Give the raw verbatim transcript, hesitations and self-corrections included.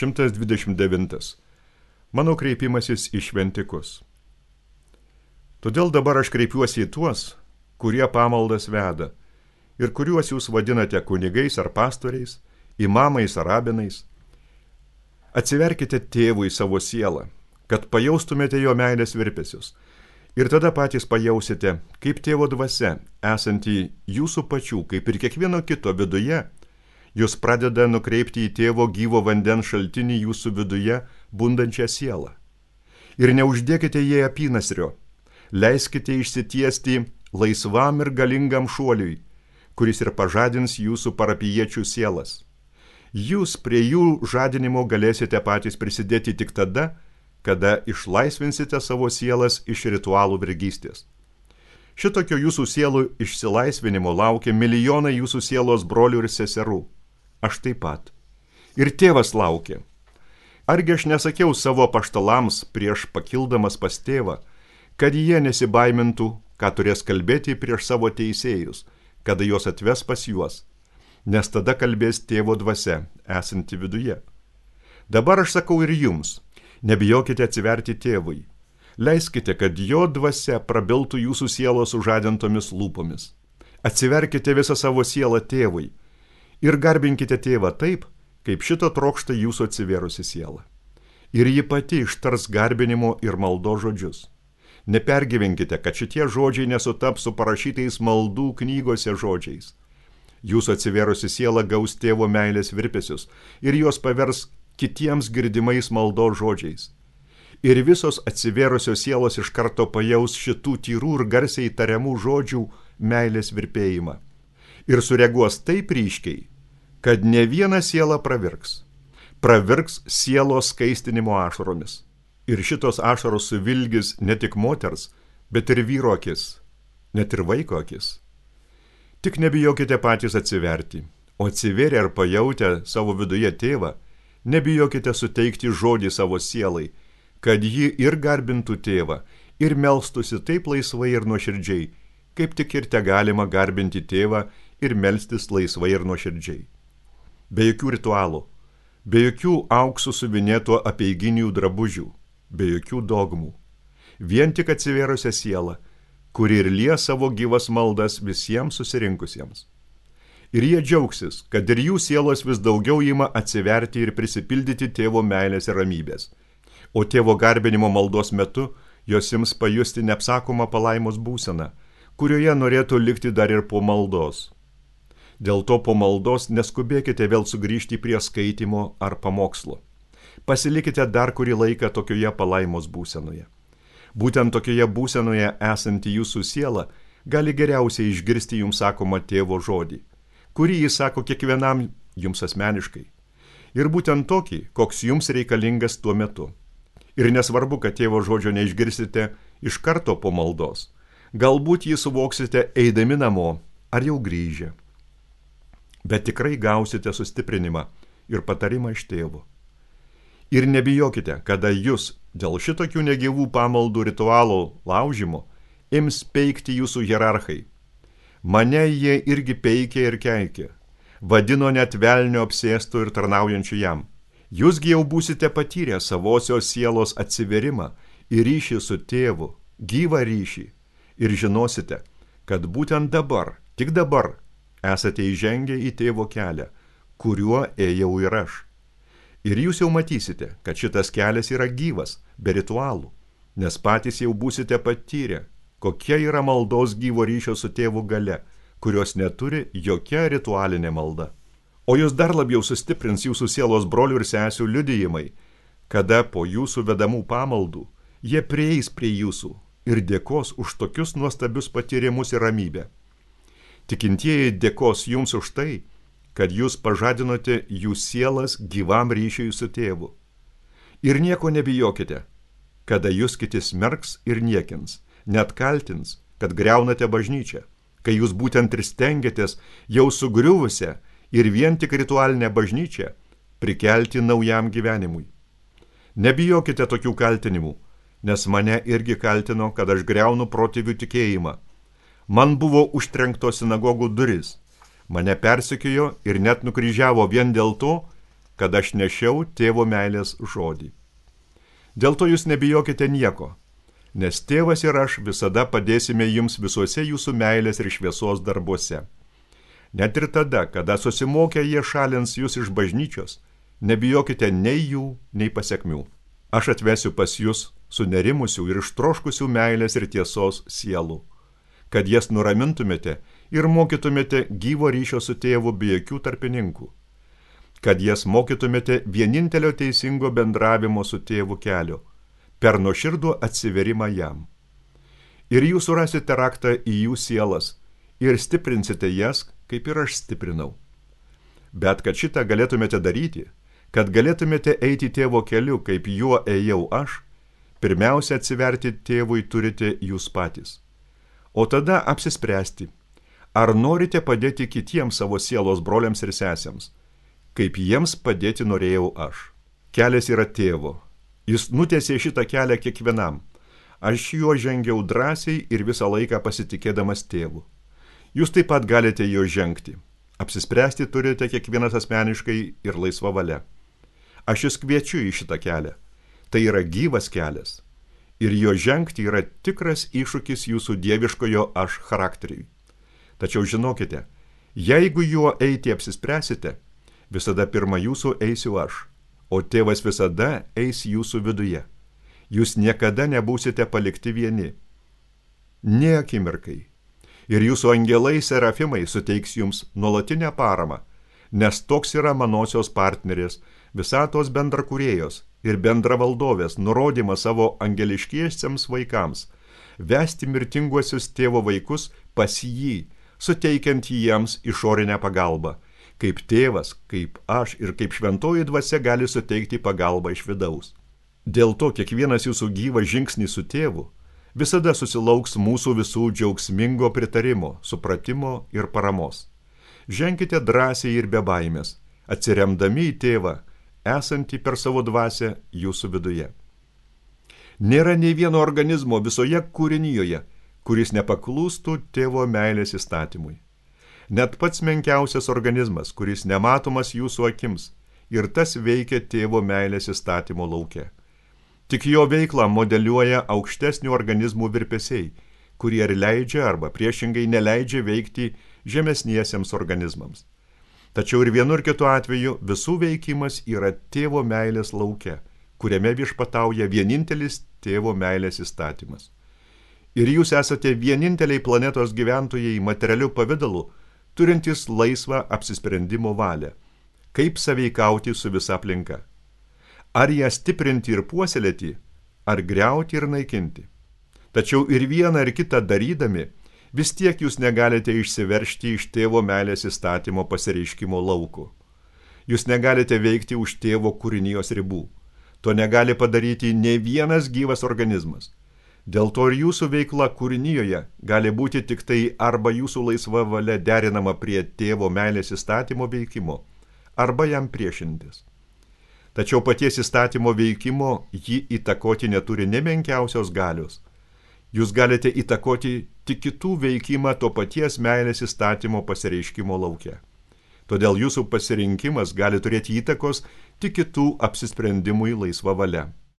šimtas dvidešimt devintas. Mano kreipimasis į šventikus. Todėl dabar aš kreipiuosi į tuos, kurie pamaldas veda ir kuriuos jūs vadinate kunigais ar pastoriais, imamais ar rabinais. Atsiverkite tėvui savo sielą, kad pajaustumėte jo meilės virpesius. Ir tada patys pajausite, kaip tėvo dvasia, esanti jūsų pačių, kaip ir kiekvieno kito viduje, jūs pradeda nukreipti į tėvo gyvo vandens šaltinį jūsų viduje bundančią sielą. Ir neuždėkite jai apynasrio, leiskite išsitiesti laisvam ir galingam šuoliui, kuris ir pažadins jūsų parapijiečių sielas. Jūs prie jų žadinimo galėsite patys prisidėti tik tada, kada išlaisvinsite savo sielas iš ritualų vergystės. Šitokio jūsų sielų išsilaisvinimo laukia milijonai jūsų sielos brolių ir seserų. Aš taip pat. Ir tėvas laukia. Argi aš nesakiau savo apaštalams prieš pakildamas pas tėvą, kad jie nesibaimintų, ką turės kalbėti prieš savo teisėjus, kada juos atves pas juos, nes tada kalbės tėvo dvasia, esanti viduje. Dabar aš sakau ir jums, nebijokite atsiverti tėvui. Leiskite, kad jo dvasia prabiltų jūsų sielos sužadintomis lūpomis. Atsiverkite visą savo sielą tėvui ir garbinkite tėvą taip, kaip šito trokšta jūsų atsivėrusi siela. Ir ji pati ištars garbinimo ir maldo žodžius. Nepergyvenkite, kad šitie žodžiai nesutaps su parašytais maldų knygose žodžiais. Jūsų atsivėrusi siela gaus tėvo meilės virpesius ir juos pavers kitiems girdimais maldos žodžiais. Ir visos atsivėrusios sielos iš karto pajaus šitų tyrų ir garsiai tariamų žodžių meilės virpėjimą. Ir sureaguos taip ryškiai, kad ne viena siela pravirks. Pravirks sielos skaistinimo ašaromis. Ir šitos ašaros suvilgis ne tik moters, bet ir vyro akis, net ir vaiko akis. Tik nebijokite patys atsiverti, o atsivėrę ir pajautę savo viduje tėvą, nebijokite suteikti žodį savo sielai, kad ji ir garbintų tėvą, ir melstusi taip laisvai ir nuoširdžiai, kaip tik ir te galima garbinti tėvą ir melstis laisvai ir nuoširdžiai. Be jokių ritualų, be jokių auksų suvinėto apeiginių drabužių, be jokių dogmų. Vien tik atsivėrusią sielą, kuri ir lie savo gyvas maldas visiems susirinkusiems. Ir jie džiaugsis, kad ir jų sielos vis daugiau ima atsiverti ir prisipildyti tėvo meilės ir ramybės. O tėvo garbinimo maldos metu jos ims pajusti neapsakomą palaimos būseną, kurioje norėtų likti dar ir po maldos. Dėl to po maldos neskubėkite vėl sugrįžti prie skaitimo ar pamokslo. Pasilikite dar kurį laiką tokioje palaimos būsenoje. Būtent tokioje būsenoje esanti jūsų siela gali geriausiai išgirsti jums sakomą tėvo žodį, kurį jis sako kiekvienam jums asmeniškai. Ir būtent tokį, koks jums reikalingas tuo metu. Ir nesvarbu, kad tėvo žodžio neišgirsite iš karto po maldos. Galbūt jį suvoksite eidami namo ar jau grįžę. Bet tikrai gausite sustiprinimą ir patarimą iš tėvo. Ir nebijokite, kada jūs dėl šitokių negyvų pamaldų ritualų laužimo ims peikti jūsų hierarchai. Mane jie irgi peikė ir keikė, vadino net velnio apsėstų ir tarnaujančių jam. Jūsgi jau būsite patyrę savosios sielos atsiverimą ir ryšį su tėvu, gyvą ryšį, ir žinosite, kad būtent dabar, tik dabar, esate įžengę į tėvo kelią, kuriuo ėjau ir aš. Ir jūs jau matysite, kad šitas kelias yra gyvas, be ritualų, nes patys jau būsite patyrę, kokia yra maldos gyvo ryšio su tėvu galia, kurios neturi jokia ritualinė malda. O jūs dar labiau sustiprins jūsų sielos brolių ir sesių liudijimai, kada po jūsų vedamų pamaldų jie prieis prie jūsų ir dėkos už tokius nuostabius patyrimus ir ramybę. Tikintieji dėkos jums už tai, kad jūs pažadinote jų sielas gyvam ryšiui su tėvu. Ir nieko nebijokite, kada jūs kiti smerks ir niekins, net kaltins, kad griaunate bažnyčią, kai jūs būtent ir stengiatės jau sugriuvusią ir vien tik ritualinę bažnyčią prikelti naujam gyvenimui. Nebijokite tokių kaltinimų, nes mane irgi kaltino, kad aš griaunu protėvių tikėjimą. Man buvo užtrenktos sinagogų duris, mane persekiojo ir net nukryžiavo vien dėl to, kad aš nešiau tėvo meilės žodį. Dėl to jūs nebijokite nieko, nes tėvas ir aš visada padėsime jums visuose jūsų meilės ir šviesos darbuose. Net ir tada, kada susimokę jie šalins jūs iš bažnyčios, nebijokite nei jų, nei pasekmių. Aš atvesiu pas jūs sunerimusių ir ištroškusių meilės ir tiesos sielų, kad jas nuramintumėte ir mokytumėte gyvo ryšio su tėvu be jokių tarpininkų, kad jas mokytumėte vienintelio teisingo bendravimo su tėvu kelio, per nuoširdų atsiverimą jam. Ir jūs surasite raktą į jų sielas ir stiprinsite jas, kaip ir aš stiprinau. Bet kad šitą galėtumėte daryti, kad galėtumėte eiti tėvo keliu, kaip juo ėjau aš, pirmiausia atsiverti tėvui turite jūs patys. O tada apsispręsti, ar norite padėti kitiems savo sielos broliams ir sesėms, kaip jiems padėti norėjau aš. Kelias yra tėvo. Jis nutiesė šitą kelią kiekvienam. Aš juo žengiau drąsiai ir visą laiką pasitikėdamas tėvu. Jūs taip pat galite jo žengti. Apsispręsti turite kiekvienas asmeniškai ir laisva valia. Aš jūs kviečiu į šitą kelią. Tai yra gyvas kelias. Ir jo žengti yra tikras iššūkis jūsų dieviškojo aš charakteriui. Tačiau žinokite, jeigu juo eiti apsispręsite, visada pirma jūsų eisiu aš, o tėvas visada eis jūsų viduje. Jūs niekada nebūsite palikti vieni. Nė akimirkai. Ir jūsų angelai serafimai suteiks jums nuolatinę paramą, nes toks yra manosios partnerės, visatos bendrakūrėjos ir bendravaldovės nurodymas savo angeliškiesiems vaikams, vesti mirtinguosius tėvo vaikus pas jį, suteikiant jiems išorinę pagalbą, kaip tėvas, kaip aš ir kaip šventoji dvasia gali suteikti pagalbą iš vidaus. Dėl to kiekvienas jūsų gyvas žingsnis su tėvu visada susilauks mūsų visų džiaugsmingo pritarimo, supratimo ir paramos. Ženkite drąsiai ir be baimės, atsiremdami į tėvą, esantį per savo dvasią jūsų viduje. Nėra nei vieno organizmo visoje kūrinijoje, kuris nepaklūstų tėvo meilės įstatymui. Net pats menkiausias organizmas, kuris nematomas jūsų akims, ir tas veikia tėvo meilės įstatymo lauke. Tik jo veiklą modeliuoja aukštesnių organizmų virpesiai, kurie ir leidžia arba priešingai neleidžia veikti žemesniesiems organizmams. Tačiau ir vienu ir kitu atveju visų veikimas yra tėvo meilės lauke, kuriame viešpatauja vienintelis tėvo meilės įstatymas. Ir jūs esate vieninteliai planetos gyventojai materialiu pavidalu, turintys laisvą apsisprendimo valią, kaip sąveikauti su visa aplinka. Ar ją stiprinti ir puoselėti, ar griauti ir naikinti. Tačiau ir vieną ir kitą darydami, vis tiek jūs negalite išsiveržti iš tėvo meilės įstatymo pasireiškimo lauko. Jūs negalite veikti už tėvo kūrinijos ribų. To negali padaryti nei vienas gyvas organizmas. Dėl to ir jūsų veikla kūrinijoje gali būti tik tai arba jūsų laisva valia derinama prie tėvo meilės įstatymo veikimo, arba jam priešintis. Tačiau paties įstatymo veikimo jį įtakoti neturi ne menkiausios galios. Jūs galite įtakoti tik kitų veikimą to paties meilės įstatymo pasireiškimo lauke. Todėl jūsų pasirinkimas gali turėti įtakos tik kitų apsisprendimui laisva valia.